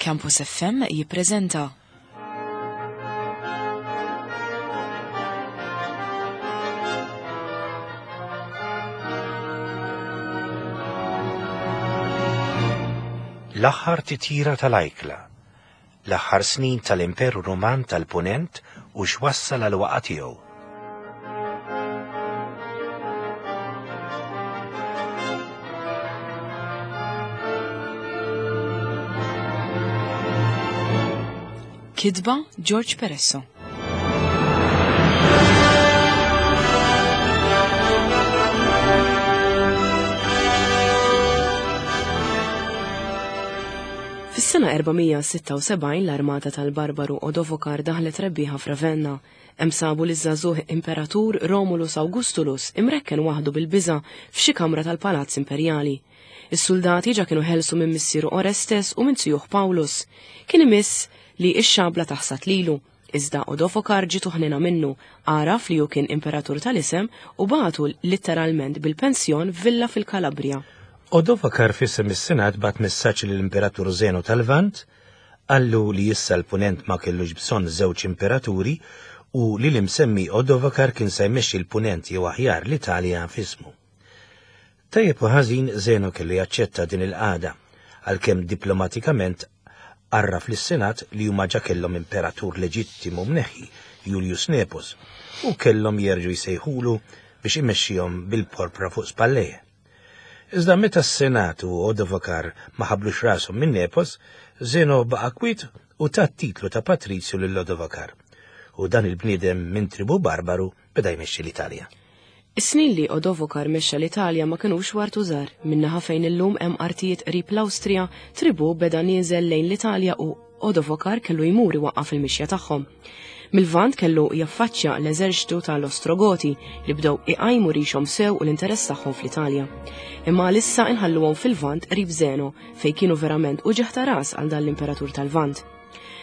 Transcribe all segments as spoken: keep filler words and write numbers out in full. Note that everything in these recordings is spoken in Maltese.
Campus F M jippreżenta L-aħħar titjira tal-ajkla, l-aħħar snin tal-Imperu Ruman tal-Punent u x'wassal għal waqa tiegħu. Kitba George Peresso. Fis-sena erba' mija u sitta u sebgħin l-armata tal-Barbaru Odovokar daħlet rebbieħa f'Ravenna. Hemm sabu liż-żagħżugħ imperatur Romulus Augustulus imrekken waħdu bil-biża f'xi kamra tal-Palazz Imperjali. Is-soldati ġa kienu ħelsu minn missieru Orestes u minn zijuh Paulus. Kien imiss li x-xabla taħsat lilu. Iżda Odovokar ġietu ħnina minnu, għaraf li hu kien imperatur tal-isem u bagħtu litteralment bil-pensjon f'villa fil-Kalabria. Odovakar f'isem is-Senat bagħat messaġġ lill-Imperatur Zeno tal-Lvant, qallu li issa l-Punent ma kellux bżonn żewġ imperaturi u li l-imsemmi Odovakar kien se jmexxi l-Punent, jew aħjar l-Italja, f'ismu. Tajjeb u ħażin, Zeno kellu jaċċetta din il-qagħda, għalkemm diplomatikament għarraf lis-Senat li huma ġa kellhom imperatur leġittimu mneħħi, Julius Nepos, u kellhom jerġgħu jsejħulu biex imexxihom bil-porpra fuq spallejh. Iżda meta s-Senat u Odovakar ma ħablux rashom minn Nepos, Zeno baqa' kwit u ta titlu ta' Patrizju lil Odovakar. U dan il-bniedem minn tribu barbaru beda jmexxi l-Italja. Is-snin li Odovokar mexxa l-Italja ma kinux wartu żgħar. Min-naħa fejn illum hemm artijiet qrib l-Awstrija, tribu beda nieżel lejn l-Italja u Odovokar kellu jmur iwaqqaf il-mixja tagħhom. Mil-Lvant kellu jaffaċċja l-eżerċtu tal-Ostrogoti li bdew iqajmu rixhom sew u l-interess tagħhom fl-Italja. Imma għalissa inħalluhom fil-Lvant qrib Zeno, fejn kienu verament uġigħ ta' ras għal dan l-imperatur tal-Lvant.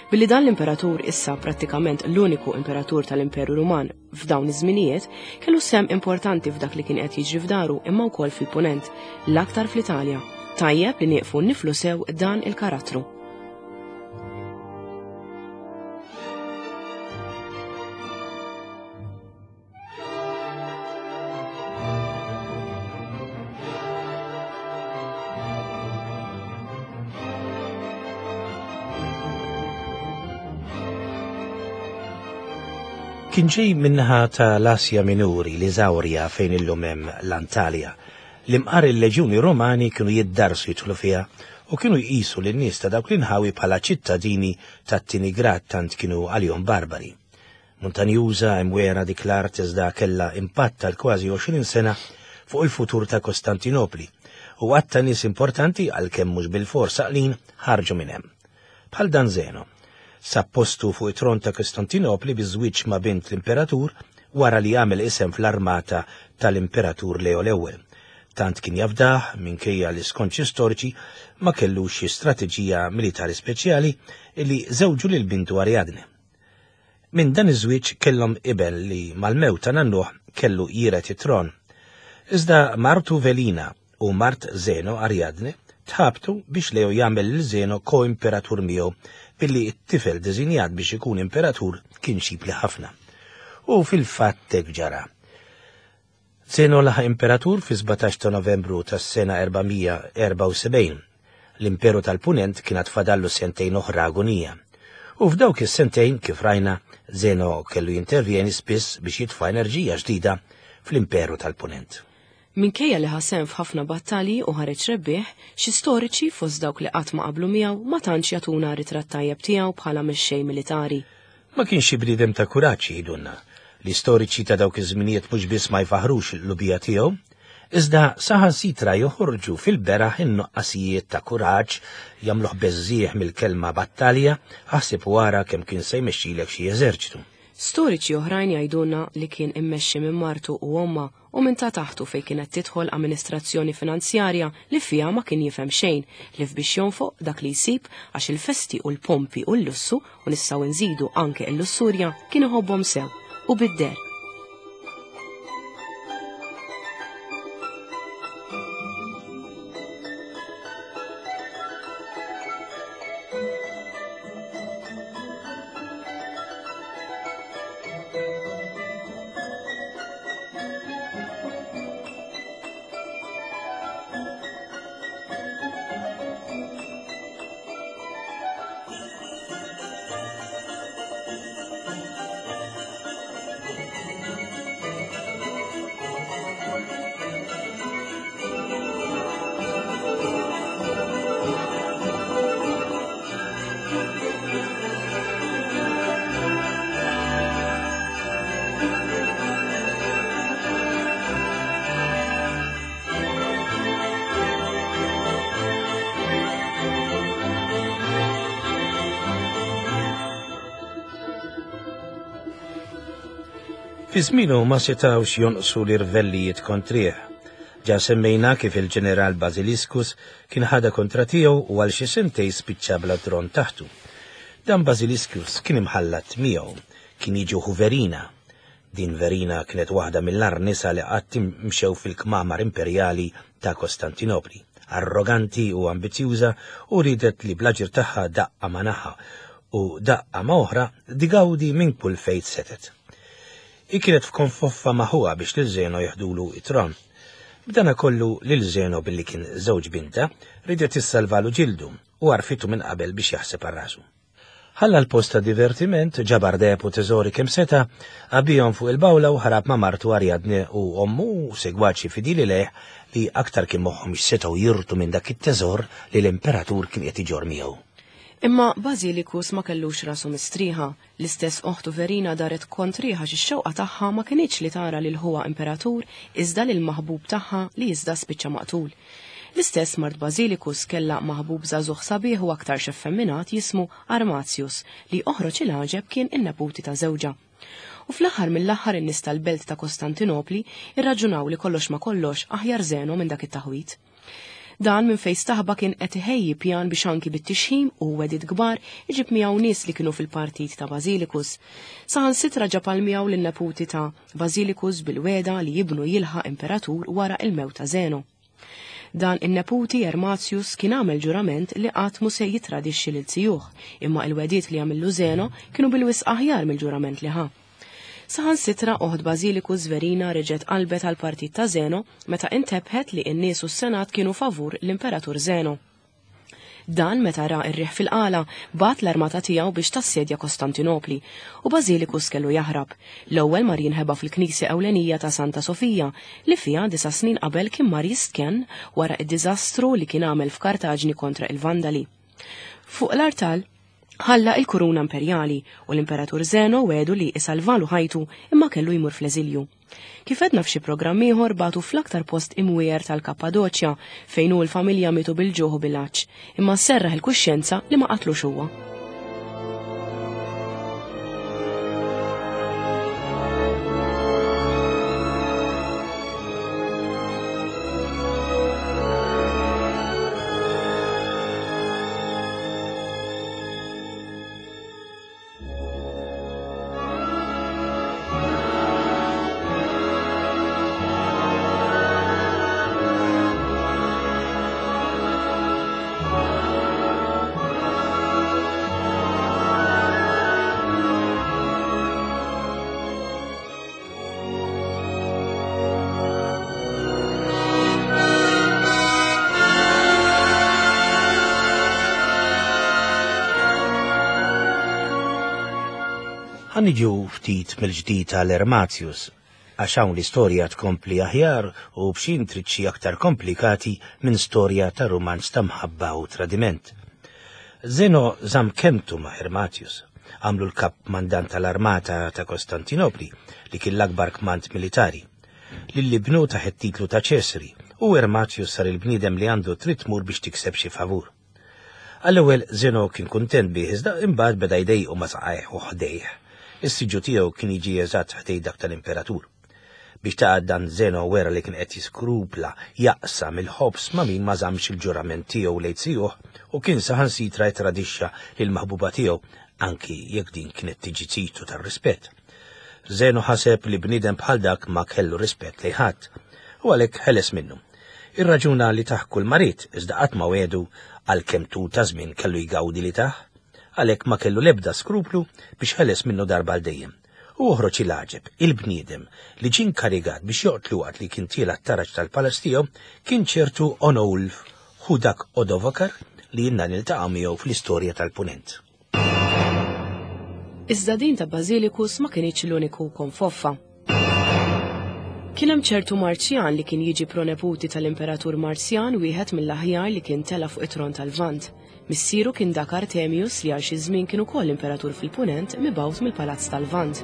Billi dan l-imperatur, issa prattikament l-uniku imperatur tal-Imperu Ruman f'dawn iż-żminijiet, kellu sehem importanti f'dak li kien qed jiġri f'daru imma wkoll fil-Punent, l-aktar fl-Italja. Tajjeb li nieqfu niflu sew dan il-karattru. Kien ġej min-naħa ta' l-Asja Minuri, l-Iżawrja, fejn illum hemm l-Antalja. L-imqar il-leġjuni Romani kienu jiddarsu jidħlu fiha u kienu jqisu lin-nies ta' dawk l-inħawi bħala ċittadini tat-tieni grad, tant kienu għalihom barbari. Muntanjuża imwera dik l-art, iżda kellha impatt tal kważi għoxrin sena fuq il-futur ta' Kostantinopli u għadd ta' nies importanti, għalkemm mhux bil-fors għaqlin, ħarġu minn hemm. Bħal dan Zeno. Sab postu fuq it-tron ta' Kostantinopli biż-żwieġ ma' bint l-imperatur wara li għamel isem fl-armata tal-imperatur Leo l-Ewwel. Tant kien jafdah, minkejja li skont xi storiċi ma kellux xi strateġija militari speċjali, illi żewġu lil bintu Ariadne. Minn dan iż-żwieġ kellhom iben li mal-mewt ta' nannuh kellu jiret it-tron. Iżda martu Velina u mart Zeno Ariadne tħabtu biex Leo jagħmel lil Zeno ko-imperatur miegħu, billi t-tifel deżinjat biex ikun imperatur kien xipli ħafna. U fil-fatt hekk ġara. Zeno laħaq imperatur fi sbatax ta' Novembru tas-sena erba' mija u erbgħa u sebgħin. L-Imperu tal-Punent kien fadallu sentejn oħra agonija. U f'dawk is-sentejn, kif rajna, Zeno kellu jintervjeni spiss biex jitfa' enerġija ġdida fl-Imperu tal-Punent. Minkejja li ħa sehem f'ħafna battalji u ħareġ rebbieħ, xi storiċi, fost dawk li qatt ma qablu miegħu, ma tantx jagħtuna ritratt tajjeb tiegħu bħala mexxej militari. Ma kienx xi bniedem ta' kuraġġ, jgħidulna. L-istoriċi ta' dawk iż-żminijiet mhux biss ma jfaħrux l-lubija tiegħu, iżda saħansitra joħorġu fil-beraħ in-nuqqasijiet ta' kuraġġ, jagħmluh beżżieħ mill-kelma battalja, aħseb wara kemm kien se jmexxilek xi eżerċitu. Storiċi oħrajn jgħidulna li kien immexxi minn martu u omma u minn ta' taħtu, fejn kienet tidħol amministrazzjoni finanzjarja li fiha ma kien jifhem xejn ħlief biex jonfoq dak li jsib, għax il-festi u l-pompi u l-lussu, u nistgħu nżidu anke l-lussurja, kien iħobbhom sew u bid-der. Fi żmienu ma setgħux jonqsu l-irvellijiet kontrih. Ġa semmejna kif il-ġeneral Basiliscus kien ħada kontra tiegħu u għal xi sentej spiċċa bla tron taħtu. Dan Basiliscus kien imħallat miegħu, kien jiġu Verina. Din Verina kienet waħda mill-agħar nisa li qatt mxew fil-kmamar imperjali ta' Kostantinopli. Arroganti u ambizjuża u ridet li bl-aġir tagħha daqqa ma' naħa u daqqa ma' oħra digawdi minn kull fejt setet. I kienet f'konfoffa ma' ħuha biex lil Zeno jeħdulu it-tron. B'dana kollu lil Zeno billi kien żewġ binta ridet issalvalu ġildu u għarfitu minn qabel biex jaħseb għal rasu. Ħalla l-post ta' divertiment, ġabar deheb u teżori kemm seta', għabbihom fuq il-bawla u ħarab ma' martu Ariadne u ommu u segwaċi fidili lejh li aktar kien moħħhom x'setgħu jirtu minn dak it-teżor li l-imperatur kien qed iġorr miegħu. Imma Basilicus ma kellux rasu mistrieħa, l-istess oħtu Verina daret kontriħa xi x-xewqa tagħha ma kinitx li tara lil ħuha imperatur iżda lil maħbub tagħha li iżda spiċċa maqtul. L-istess mart Basilicus kellha maħbub żagħżugħ sabiħ u aktar xeffemminat jismu Armatius li oħroġ il-għaġeb kien in-neputi ta' żewġha. U fl-aħħar mill-aħħar in-nies tal-belt ta' Kostantinopli irraġunaw li kollox ma kollox aħjar Zeno minn dak it-taħwit. Dan minn fejn staħba kien qed iħejji pjan biex anki bit-tixħim u wedid kbar iġib miegħu nies li kienu fil-partit ta' Basilicus. Saħansitra ġab għal miegħu lin-neputi ta' Basilicus bil-weda li jibnu jilħaq imperatur wara il-mewt ta' Zeno. Dan in-neputi Ermatius kien għamel ġurament li qatt mu se jitradixxi lil zijuh, imma il-wediet li għamillu Zeno kienu bil-wisq aħjar mill-ġurament li ħa. Saħansitra oħt Basilicus Verina reġgħet qalbet għal partit ta' Zeno meta intebħet li n-nies u s-Senat kienu favur l-Imperatur Zeno. Dan meta ra r-riħ fil-qala bat l-armata tiegħu biex tassedja Kostantinopli u Basilicus kellu jaħrab. L-ewwel mar jinħeba fil-knisja ewlenija ta' Santa Sofija li fiha disa' snin qabel kien mar jistkenn wara id-diżastru li kien għamel f'Kartaġni kontra il-Vandali. Fuq l-artal ħalla il-kuruna imperjali u l-Imperatur Zeno wedu li isalvalu ħajtu imma kellu jmur fl-eżilju. Kif edna f'xi programm ieħor batu fl-aktar post imwier tal-Kappadoċja fejn hu l-familja mietu bil-ġuħ u bil-għatx, imma serraħ il-kuxjenza li ma qatlux huwa. Ħa niġu ftit mill-ġdid għal Ermatius, għax hawn l-istorja tkompli aħjar u b'xi intriċċi aktar komplikati minn storja ta' rumanz ta' mħabba u tradiment. Zeno żamm kemtu ma' Ermatius, għamlu l-kap mandant tal-armata ta' Kostantinopli li kien l-akbar kmand militari. Lil ibnu taħt it-titlu ta' Ċesri u Ermatius sar il-bniedem li għandu trid tmur biex tikseb xi favur. Għall-ewwel Zeno kien kuntent bih iżda imbagħad beda jdejqu ma' saqajh u ħdejh. Is-siġġu tiegħu kien jiġi eżatt ħdej dak tal-imperatur. Biex taqgħad dan Zeno wera li kien qed jiskrupla jaqsam il-ħobż ma' min ma żammx il-ġurament tiegħu lejn zijuh u kien saħansitra jtradixxa lil maħbuba tiegħu anki jekk din kienet tiġi zitu tar-rispett. Zeno ħaseb li bniedem bħal dak ma kellu rispett lejn ħadd u għalhekk ħeles minnu. Ir-raġuna li taħ kull marid iżda qatt ma wedu għalkemm tul ta' żmien kellu jgawdi li taħ, għalhekk ma kellu l-ebda skruplu biex ħeles minnu darba għal dejjem. U oħroġ il-għaġeb, il-bniedem li ġie inkarigat biex joqtlu waqt li kien tiela t-taraġ tal-palazz tiegħu kien ċertu Onolf, hu dak Odovakar li jiena niltaqa' miegħu fl-istorja tal-Punent. Iżda din ta' Basilicus ma kinitx l-uniku konfoffa. Kien hemm ċertu Marzjan li kien jiġi proneputi tal-Imperatur Marzjan, wieħed mill-aħjar li kien tela fuq it-tron tal-Lvant. Missieru kien dak Artemius li għal xi żmien kien ukoll imperatur fil-Punent mibgħut mill-Palazz tal-Lvant.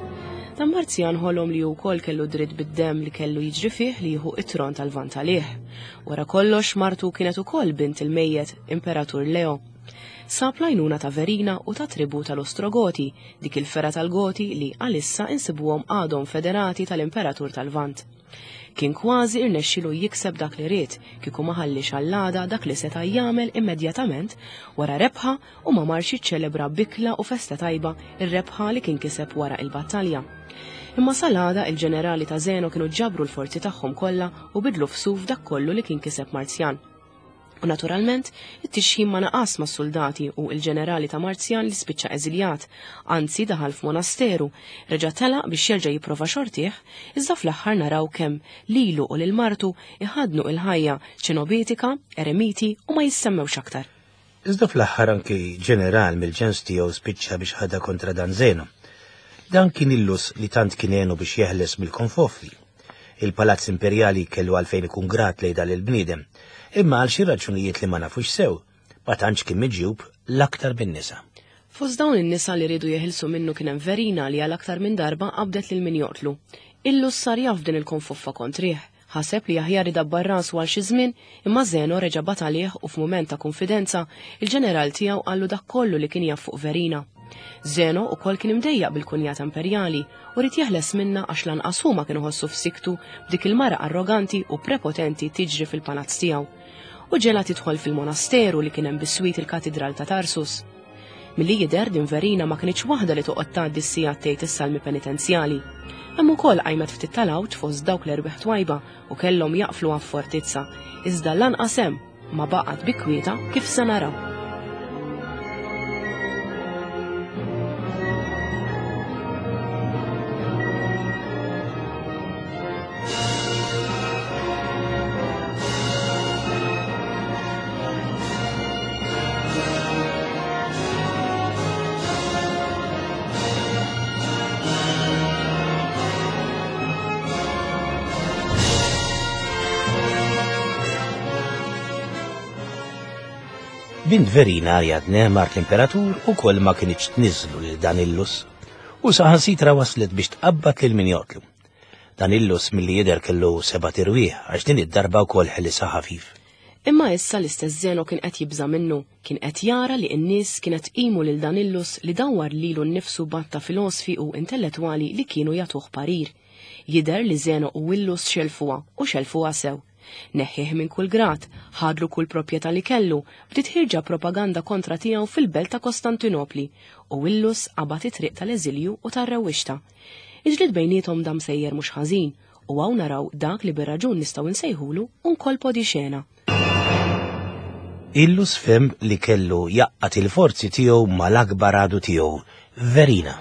Dan Marzjan ħolom li wkoll kellu dritt bid-demm li kellu jiġri fih li jieħu it-tron tal-Lvant għalih. Wara kollox martu kienet ukoll bint il-mejjet Imperatur Leo. Sab l-għajnuna ta' Verina u ta' tribu tal-Ostrogoti, dik il-fergħa tal-Goti li għalissa insibuhom għadhom federati tal-Imperatur tal-Lvant. Kien kważi irnexxilu jikseb dak li ried, kieku ma ħallix għall-għada dak li seta' jagħmel immedjatament wara rebħa u ma marx jiċċelebra bikla u festa tajba ir-rebħa li kien kiseb wara il-battalja. Imma sal-għada il-ġenerali ta' Zeno kienu ġabru l-forzi tagħhom kollha u bidlu f'suf dak kollu li kien kiseb Marzjan. U naturalment, it-tixħim ma naqas mas-soldati u il-ġenerali ta' Marzjan li spiċċa eżiljat, anzi daħal f'monasteru, reġa' telaq biex jerġa' jipprova xortih, iżda fl-aħħar naraw kemm lilu u lil martu iħadnu il-ħajja ċenobitika, eremiti u ma jissemmewx aktar. Iżda fl-aħħar anki ġeneral mill-ġens tiegħu spiċċa biex ħadha kontra dan Zeno. Dan kien Illus li tant kien għenu biex jeħles mill-konfoffi. Il-Palazz Imperjali kellu għalfejn ikun grat lejn dan il-bniedem, imma għal xi raġunijiet li ma nafux sew, ma tantx kien miġjub l-aktar bin-nisa. Fost dawn in-nisa li riedu jeħilsu minnu kien hemm Verina li għal aktar minn darba qabdet lil min joqtlu. Illus sar jaf din il-konfoffa kontrih, ħaseb li aħjar idabbar rasu għal xi żmien, imma Zeno reġa' bat għalih u f'mument ta' konfidenza il-ġeneral tiegħu qallu dak kollu li kien jaf fuq Verina. Zeno ukoll kien imdejjaq bil-kunjata imperjali u ried jeħles minna għax lanqas huma kienu ħossu f'siktu b'dik il-mara arroganti u prepotenti tiġri fil-palazz tiegħu. U ġela tidħol fil-monasteru li kien hemm biswit il-katedral ta' Tarsus. Milli jidher din Verina ma kinitx waħda li toqgħod tgħaddi s-sigħat tgħid is-salmi penitenzjali. Hemm ukoll qajmet ftit tal-għawġ fost dawk l-erwieħ twajba u kellhom jaqflu għaf-fortizza, iżda lanqas hemm ma baqgħet bi kwieta kif se naraw. Bint Verina Ariadne mart l-imperatur u koll ma kienx tniżlu lil dan Illus u saħansitra waslet biex tqabbad lil min joqtlu. Dan Illus milli jidher kellu seba' tirwieħ għax din id-darba wkoll ħelisha ħafif. Imma issa l-istess Zeno kien qed jibża' minnu, kien qed jara li n-nies kienet tqimu lil dan Illus li dawwar lilu nnifsu batta filosfi u intellettwali li kienu jagħtuh parir. Jidher li Zeno u Illus xelfuha u xelfuha sew. Neħħih minn kull grad, ħadlu kull proprjetà li kellu, bdiet ħirġa propaganda kontra tiegħu fil-belt ta' Kostantinopli u Illus qabad it-triq tal-eżilju u tar-rewwixta. Il-ġlied bejniethom dam sejjer mhux ħażin u hawn naraw dak li bir-raġun nistgħu nsejħulu un colpo di scena. Illus fhem li kellu jaqqat il-forzi tiegħu mal-akbar għadu tiegħu, Verina.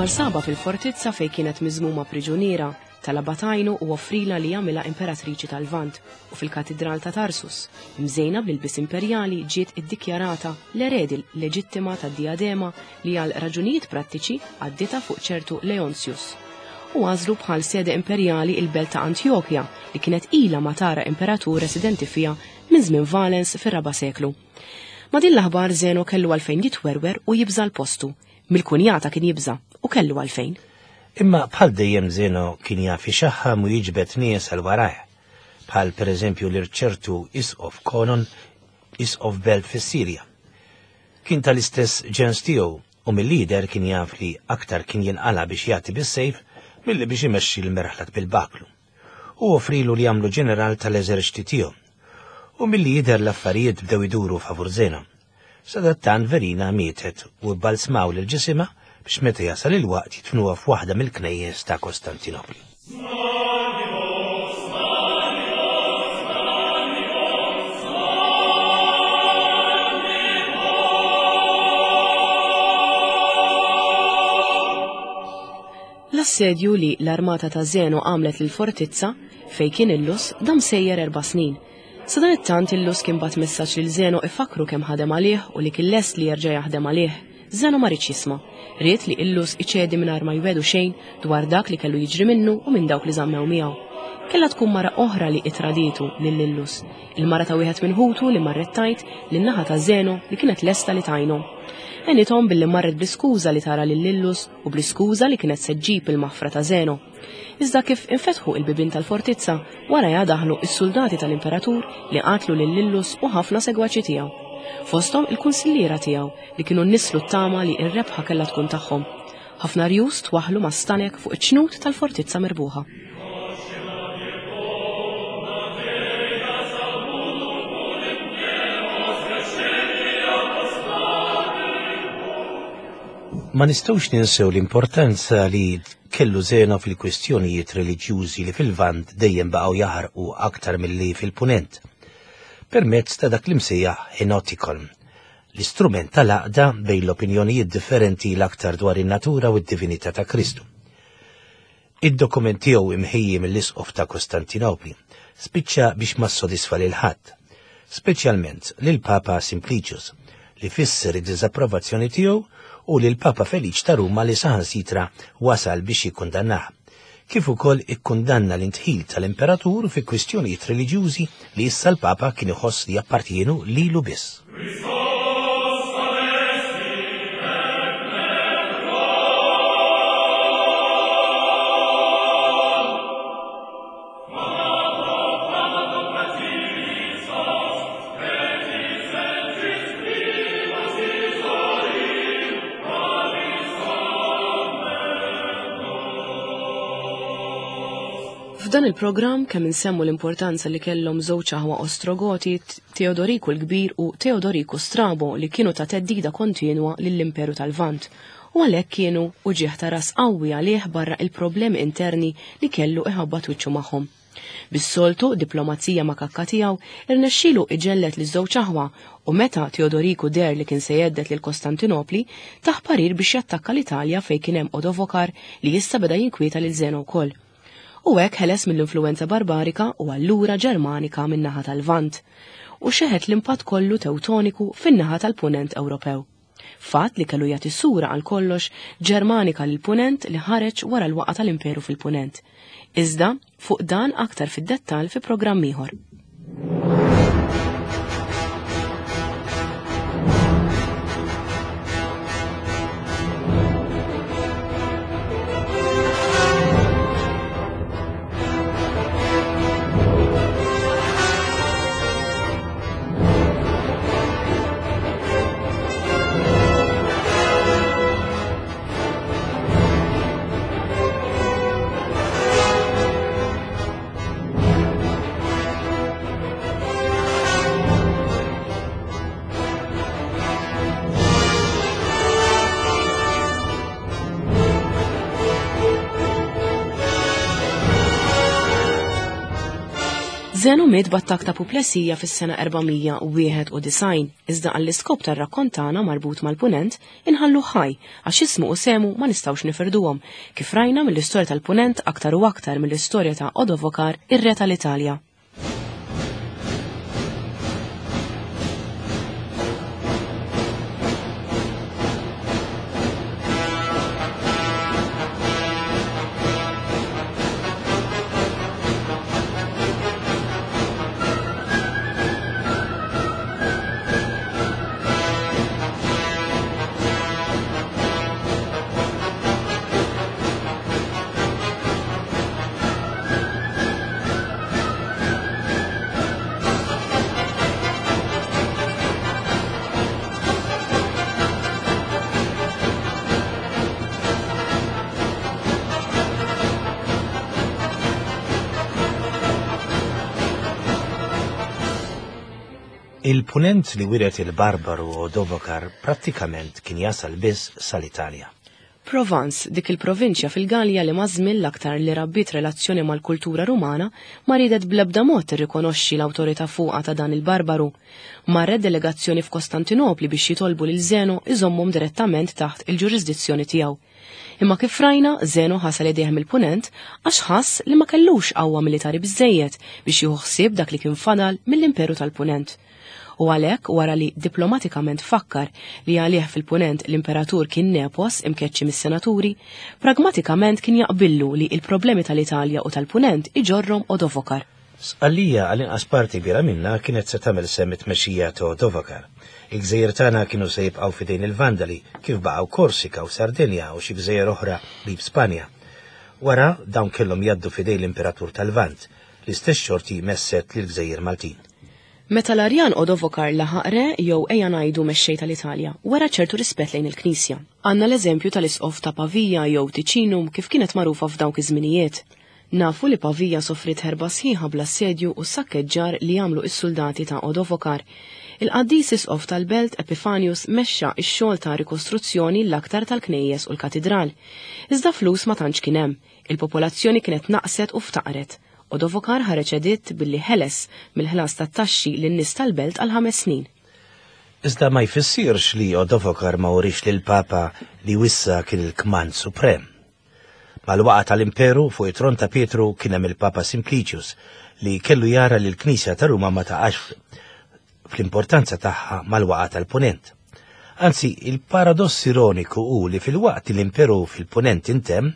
Marsaba fil-fortizza fej kienet miżmuma priġuniera, talabha tajnu u offrila li jagħmilha imperatriċi tal-Lvant u fil-katedral ta' Tarsus, imżejna bl-ilbies imperjali ġiet iddikjarata l-eredi leġittima tad-diadema li għal raġunijiet prattiċi għaddita fuq ċertu Leontius. U għażlu bħal sede imperjali il-belt ta' Antjokja li kienet ilha ma tara imperatur residenti fiha minn żmien Valens fir-raba' seklu. Ma din l-aħbar Zeno kellu għalfejn jitwerwer u jibża' l-postu. Mill-kunjata kien jibża' u kellu għalfejn. Imma bħal dejjem Zeno kien jaf ixaħħam u jiġbed nies għal warajh, bħal pereżempju l-irċertu Isqof Konon, Isqof Belt fis-Sirja. Kien tal-istess ġens tiegħu u mill-lider kien jaf li aktar kien jinqala biex jagħti bis-sejf milli biex imexxi l-merħlat bil-baklu. U offrilu li jagħmlu ġeneral tal-eżerċti tiegħu. U milli jidher l-affarijiet bdew iduru favur Zeno. Sadattant Verina mietet u bbalsmaw lil ġisimha biex meta jasal il-waqt jitfnuha f'waħda mill-knejjes ta' Kostantinopli. L-assedju li l-armata ta' Zeno għamlet lil fortizza fej kien Illus dam sejjer erba' snin. Sadanittant Illus kien bat messaġġ lil Zeno ifakru kemm ħadem għalih u li kien lest li jerġa' jaħdem għalih. Zeno ma riedx jisma'. Ried li Illus iċedi mingħajr ma jwedu xejn dwar dak li kellu jiġri minnu u minn dawk li żammew miegħu. Kellha tkun mara oħra li itraditu lil Illus, il-mara ta' wieħed minn ħutu li marret tajt lin-naħa ta' Zeno li kienet lesta li tajnhom. Għenithom billi marret bl-iskuża li tara lil Illus u bl-iskuża li kienet se ġġib il-maħfra ta' Zeno. Iżda kif infetħu il-bibien tal-fortizza, warajha daħlu s-soldati tal-imperatur li qatlu lil Illus u ħafna segwaċi tiegħu. Fosthom il-kunsilliera tiegħu li kienu nnislu t-tama li r-rebħa kellha tkun tagħhom. Ħafna rjus twaħħlu ma' stanek fuq iċ-ċnut tal-fortizza mirbuħa. Ma nistgħux ninsew l-importanza li kellu Zeno fil-kwistjonijiet reliġjużi li fil-Lvant dejjem baqgħu jaħarqu aktar milli fil-Punent, permezz ta' dak li msejjaħ Henotikon, l-istrument tal-għaqda bejn l-opinjonijiet differenti l-aktar dwar in-natura u d-divinità ta' Kristu. Id-dokument tiegħu imħejji mill-Isqof ta' Kostantinopli spiċċa biex ma ssodisfa lil ħadd, speċjalment lil Papa Simplicius, li fisser id-diżapprovazzjoni tiegħu u lil Papa Feliċ ta' Ruma li saħansitra wasal biex jikkundannah, kif ukoll ikkundanna l-intħil tal-imperatur fi kwistjonijiet reliġjużi li issa l-Papa kien iħoss li jappartienu lilu biss. F'dan il-programm kemm insemmu l-importanza li kellhom żewġ aħwa Ostrogoti, Teodoriku l-Kbir u Teodoriku Strabo, li kienu ta' teddida kontinwa lill-Imperu tal-Lvant, u għalhekk kienu uġieħ ta' ras qawwi għalih barra il-problemi interni li kellu iħabbat wiċċu magħhom. Bis-soltu diplomazija makakka tiegħu irnexxielu iġellet li żewġ aħwa, u meta Teodoriku der li kien se jeddet lil Kostantinopli, taħ parir biex jattakka l-Italja fejn kien hemm Odovokar li issa beda jinkwieta lil Zeno wkoll. U hekk ħeles mill-influenza barbarika u allura Ġermanika min-naħa tal-Lvant, u xeħet l-impatt kollu Tewtoniku fin-naħa tal-Punent Ewropew. Fatt li kellu jagħti sura għal kollox Ġermanika lil Punent li ħareġ wara l-waqgħa tal-Imperu fil-Punent. Iżda fuq dan aktar fid-dettall fi programm ieħor. Zeno miet b'attakk ta' puplesija fis-sena erba' mija u wieħed u disgħin, iżda għall-iskop tar-rakkont tagħna marbut mal-Punent inħallu ħaj għax ismu u semu ma nistgħux nifirduhom, kif rajna mill-istorja tal-Punent aktar u aktar mill-istorja ta' Odovokar, ir-re tal-Italja. Il-punent li wiret il-Barbaru Odovokar prattikament kien jasal biss sal-Italja. Provence, dik il-provinċja fil-Galja li maż-żmien l-aktar li rabbiet relazzjoni mal-kultura Rumana, ma riedet bl-ebda mod tirrikonoxxi l-awtorità fuqha ta' dan il-Barbaru. Marret delegazzjoni f'Kostantinopli biex jitolbu lil Zeno iżommhom direttament taħt il-ġurisdizzjoni tiegħu. Imma kif rajna, Zeno ħasel idejh mill-punent għax ħass li ma kellux qawwa militari biżżejjed biex jieħu ħsieb dak li kien fadal mill-Imperu tal-Punent. U għalhekk wara li diplomatikament fakkar li għalih fil-punent l-imperatur kien nepos imkeċċi mis-senaturi, pragmatikament kien jaqbillu li il-problemi tal-Italja u tal-punent iġorrom Odovokar. Sqallija għall-inqas parti kbira minnha kienet se tagħmel sehem it-tmexxija ta' Odovokar. Il-gżejjer tagħna kienu se jibqgħu f'idejn il-Vandali, kif baqgħu Korsika u Sardinja u xi gżejjer oħra qrib Spanja. Wara dawn kellhom jgħaddu f'idejn l-Imperatur tal-Lvant, l-istess xorti messet lill-gżejjer Maltin. Meta l-Arjan Odovokar laħaq re jew ejja ngħidu mexxej tal-Italja, wera ċertu rispett lejn il-Knisja. Għandna l-eżempju tal-Isqof ta' Pavia jew Ticinum kif kienet magħrufa f'dawk iż-żminijiet. Nafu li Pavia soffriet ħerba sħiħa bl-assedju u s-sakkeġġar li għamlu is-soldati ta' Odovokar. Il-qaddis Isqof tal-Belt Epifanius mexxa x-xogħol ta' rikostruzzjoni l-aktar tal-knejjes u l-katidral. Iżda flus ma tantx kien hemm, il-popolazzjoni kienet naqset u ftaqret. Odovokar ħareġ editt billi ħeles mill-ħlas tat-taxxi lin-nies tal-belt għal ħames snin. Iżda ma jfissirx li Odovokar ma urix lill-Papa li wissa kien il-kmand suprem. Mal-waqa tal-Imperu fuq it-tron ta' Pietru kien hemm il-Papa Simplicius li kellu jara li l-Knisja ta' Ruma ma taqax fl-importanza tagħha mal-waqa tal-Punent. Anzi, il-paradoss ironiku hu li fil-waqt li l-Imperu fil-Punent intemm,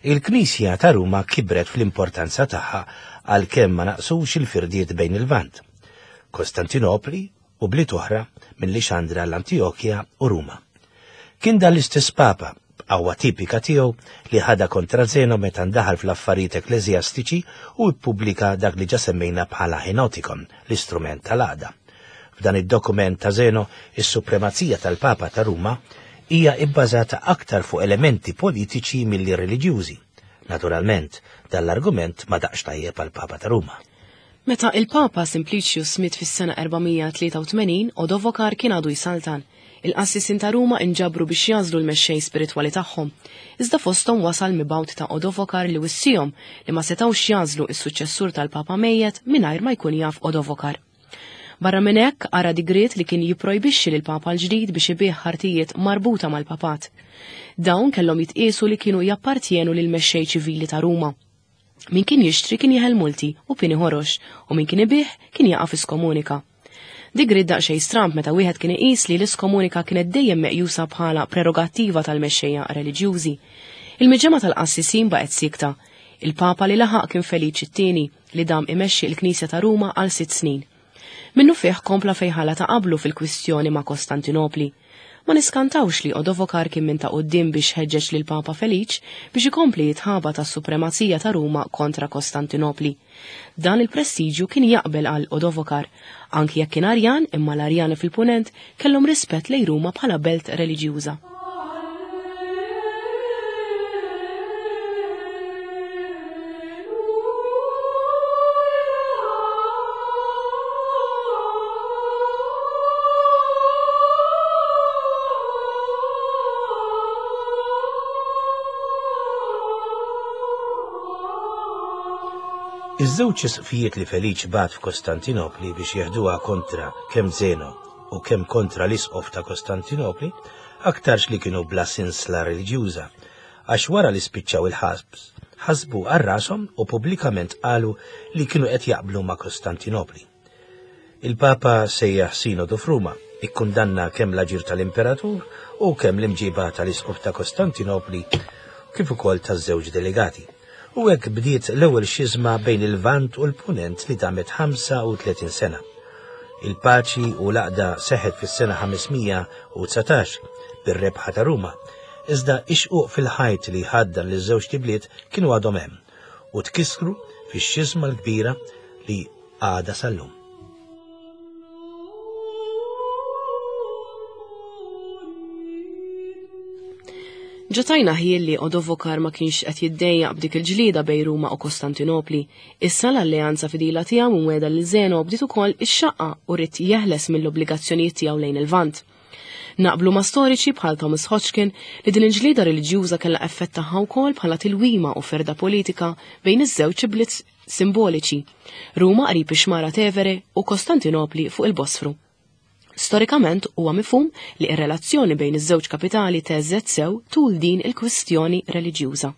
il-Knisja ta' Ruma kibret fl-importanza tagħha għalkemm ma naqsux il-firdiet bejn il-Lvant, Kostantinopli u bliet oħra minn Lixandra l-Antijokja u Ruma. Kien dan l-istess Papa, b'qawwa tipika tiegħu, li ħada kontra Zeno meta ndaħal fl-affarijiet ekkleżjastiċi u ppubblika dak li ġa semmejna bħala Henotikon, l-istrument tal-għaqda. F'dan id-dokument ta' Zeno, is-supremazija tal-Papa ta' Ruma hija ibbażata aktar fuq elementi politiċi milli reliġjużi. Naturalment, dan l-argument ma daqx tajjeb għall-Papa ta' Ruma. Meta il-Papa Simplicius miet fis-sena erba' mija tlieta u tmenin, Odovokar kien għadu jsaltan. Il-qassisin ta' Ruma inġabru biex jażlu l-mexxej spiritwali tagħhom. Iżda fosthom wasal mibgħut ta' Odovokar li wissihom li ma setgħux jażlu is-suċċessur tal-Papa mejjet mingħajr ma jkun jaf Odovokar. Barra minn hekk ara digriet li kien jipprojbixxi lil Papa l-ġdid biex ibih ħartijiet marbuta mal-papat. Dawn kellhom jitqiesu li kienu jappartjenu lil mexxej ċivili ta' Ruma. Min kien jixtri kien jeħel multi u pieni ħorox, u min kien ibih kien jaqa' fi skomunika. Digriet daqsxejn stramb meta wieħed kien iqis li l-iskomunika kienet dejjem meqjusa bħala prerogattiva tal-mexxejja reliġjużi. Il-miġemgħa tal-qassisin baqgħet sikta. Il-Papa li laħaq kien Feliċ it-tieni li dam imexxi l-Knisja ta' Ruma għal sitt snin. Minnu fih kompla fejħala ta' qablu fil-kwistjoni ma' Kostantinopli. Ma niskantawx li Odovokar kien minn ta' quddiem biex ħeġġeġ lil Papa Feliċ biex ikompli jitħaba tas-supremazija ta' Ruma kontra Kostantinopli. Dan il-prestiġju kien jaqbel għal Odovokar, anki jekk kien Arjan, imma l-Arjani fil-Punent kellhom rispett lejn Ruma bħala belt reliġjuża. Iż-żewġ isqfijiet li Feliċ bagħat f'Kostantinopli biex jeħduha kontra kemm Zeno u kemm kontra l-isqof ta' Kostantinopli aktarx li kienu bla sinsla reliġjuża, għax wara li spiċċaw il-ħabs ħasbu għal rashom u pubblikament qalu li kienu qed jaqblu ma' Kostantinopli. Il-Papa sejjaħ sinodu f'Ruma, ikkundanna kemm l-aġir tal-Imperatur u kemm l-imġiba tal-isqof ta' Kostantinopli kif ukoll taż-żewġ delegati. U hekk bdiet l-ewwel xiżma bejn il-Lvant u l-Punent li damet ħamsa u tletin sena. Il-paċi u l-għaqda seħħet fis-sena ħames mija u dsatax bir-rebħa ta' Ruma, iżda ix-xquq fil-ħajt li ħaddan li żewġ tibliet kienu għadhom hemm u tkissru fix-xiżma l-kbira li għadha sal-lum. Ġotajna ħiel li Odovokar ma kienx qed jiddejjaq b'dik il-ġlieda bejn Ruma u Kostantinopli. Issa l-alleanza fidila tiegħu mweda lil Zeno bdiet ukoll ix-xaqqa u ried jeħles mill-obbligazzjonijiet tiegħu lejn il-Lvant. Naqblu ma' storiċi bħal Thomas Hodgkin li din il-ġlieda reliġjuża kellha effett tagħha wkoll bħala tilwima u ferda politika bejn iż-żewġ bliet simboliċi, Ruma qrib ix-xmara Tevere u Kostantinopli fuq il-Bosfru. Storikament huwa mifhum li r-relazzjoni bejn iż-żewġ kapitali teżżet sew tul din il-kwistjoni reliġjuża.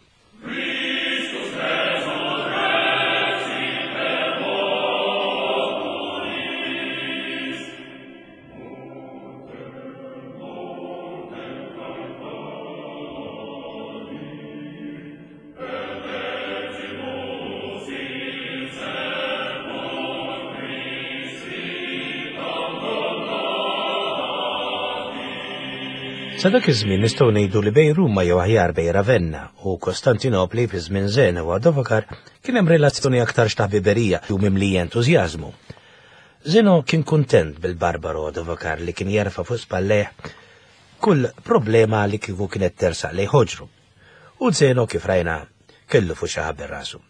Sa dak iż-żmien nistgħu ngħidu li bejn Ruma jew aħjar bejn Ravenna u Kostantinopli fi żmien Zeno u Odovakar kien hemm relazzjoni aktar ta' ħbiberija u mimlija entużjażmu. Zeno kien kuntent bil-Barbaro Odovakar li kien jerfa' fuq spallejh kull problema li kieku kienet tersaq lejn ħoġru. U Zeno kif rajna kellu fuq xi ħabel rasu.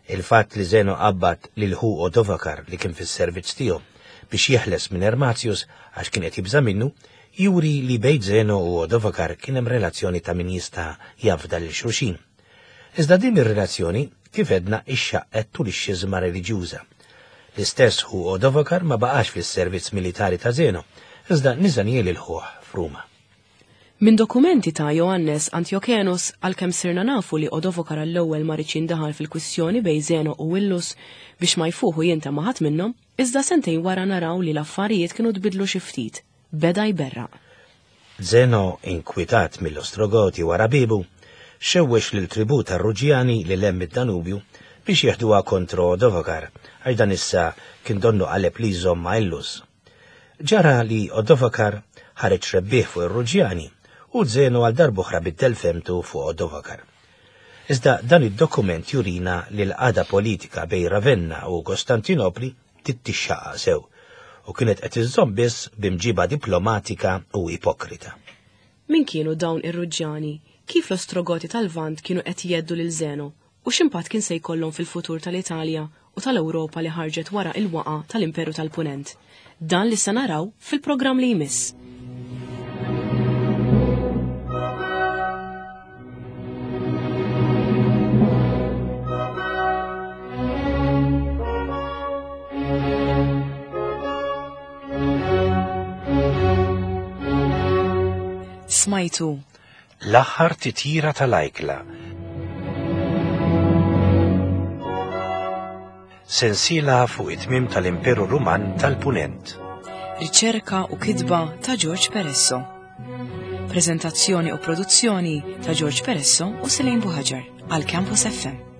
Il-fatt li Zeno qabbad lil ħu Odovakar li kien fis-servizz tiegħu biex jeħles minn Ermatius għax kien qed jibża' minnu, juri li bejn Zeno u Odovakar kien hemm relazzjoni ta' min jista' jafda lil xulxin. Iżda din ir-relazzjoni kif edna ixxaqqet tul ix-xiżma reliġjuża. L-istess ħu Odovakar ma baqax fis-servizz militari ta' Zeno, iżda niża lil ħuh f'Ruma. Minn dokumenti ta' Johannes Antiochenos għalkemm sirna nafu li Odovakar għall-ewwel ma riedx jindaħal fil-kwistjoni bejn Zeno u Illus biex ma jfuħu jinta ma' ħadd minnhom, iżda sentejn wara naraw li l-affarijiet kienu tbidlu xi ftit. Beda jberraq. Zeno, inkwitat mill-Ostrogoti wara bibu, xewwex lil tribù tar-Ruġjani li hemm id-Danubju biex jeħduha kontra Odovakar, għax dan issa kien donnu qaleb li jżomm ma' Illus. Ġara li Odovakar ħareġ rebbieħ fuq ir-Ruġjani u Zeno għal darb'oħra biddel femtu fuq Odovakar. Iżda dan id-dokument jurina li l-qagħda politika bejn Ravenna u Kostantinopli tittixxaqqa sew u kienet qed iżżomm biss b'imġiba diplomatika u ipokrita. Min kienu dawn ir-Ruġjani? Kif l-Ostrogoti tal-Lvant kienu qed jeddu lil Zeno u x'impatt kien se jkollhom fil-futur tal-Italja u tal-Ewropa li ħarġet wara il-waqa tal-Imperu tal-Punent? Dan li se naraw fil-programm li jmiss. Smajtu L-aħħar titjira tal-ajkla. Sensiela fuq it-tmiem tal-Imperu Ruman tal-Punent. Riċerka u kitba ta' George Peresso. Prezentazzjoni u produzzjoni ta' George Peresso u Selene Buhaġar għal Campus F M.